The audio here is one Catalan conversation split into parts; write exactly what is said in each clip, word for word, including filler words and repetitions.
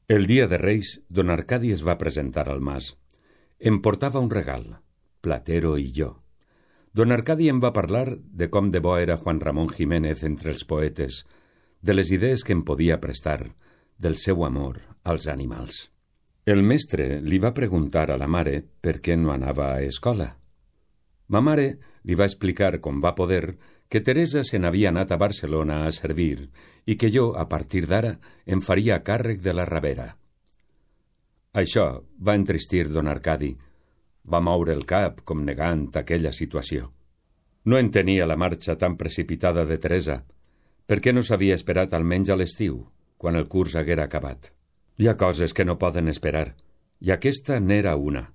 El dia de Reis, don Arcadi es va presentar al mas. Em portava un regal, Platero i jo. Don Arcadi em va parlar de com de bo era Juan Ramón Jiménez entre els poetes, de les idees que em podia prestar, del seu amor als animals. El mestre li va preguntar a la mare per què no anava a escola. Ma mare li va explicar com va poder que Teresa se n'havia anat a Barcelona a servir i que jo, a partir d'ara, em faria càrrec de la Ravera. Això va entristir don Arcadi. Va moure el cap com negant aquella situació. No entenia la marxa tan precipitada de Teresa. Per què no s'havia esperat almenys a l'estiu, quan el curs haguera acabat? Hi ha coses que no poden esperar, i aquesta n'era una.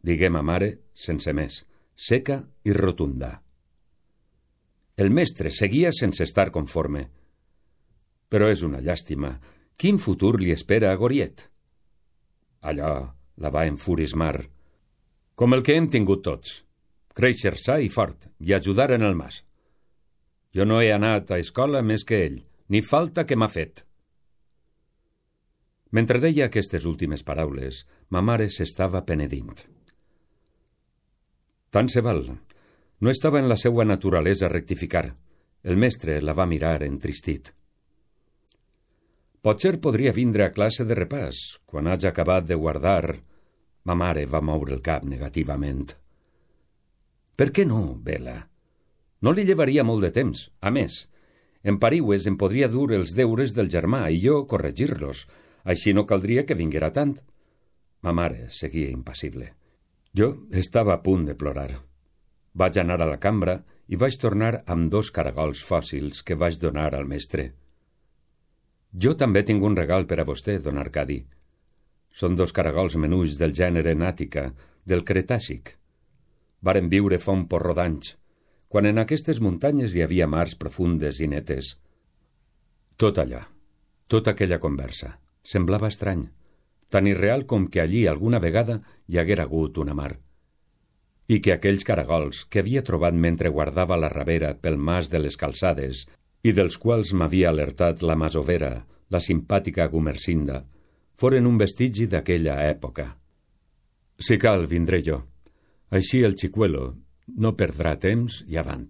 Diguem a mare, sense més, seca i rotunda. El mestre seguia sense estar conforme. Però és una llàstima. Quin futur li espera a Goriet? Allò la va enfurismar. Com el que hem tingut tots. Créixer sa i fort, i ajudar en el mas. Jo no he anat a escola més que ell, ni falta que m'ha fet. Mentre deia aquestes últimes paraules, ma mare s'estava penedint. Tant se val. No estava en la seua naturalesa rectificar. El mestre la va mirar entristit. Potser podria vindre a classe de repàs, quan hagi acabat de guardar... Ma mare va moure el cap negativament. Per què no, Bela? No li llevaria molt de temps. A més, en Pariues em podria dur els deures del germà i jo corregir-los. Així no caldria que vinguera tant. Ma mare seguia impassible. Jo estava a punt de plorar. Vaig anar a la cambra i vaig tornar amb dos caragols fòssils que vaig donar al mestre. Jo també tinc un regal per a vostè, don Arcadi. Són dos caragols menuts del gènere Nàtica, del Cretàcic. Varen viure fa un porró d'anys, quan en aquestes muntanyes hi havia mars profundes i netes. Tot allà, tota aquella conversa, semblava estrany, tan irreal com que allí alguna vegada hi haguera hagut una mar. I que aquells caragols que havia trobat mentre guardava la Ravera pel mas de les Calçades i dels quals m'havia alertat la masovera, la simpàtica Gumersinda, foren un vestigi d'aquella època. Si cal, vindré jo. Així el xicuelo no perdrà temps i avant.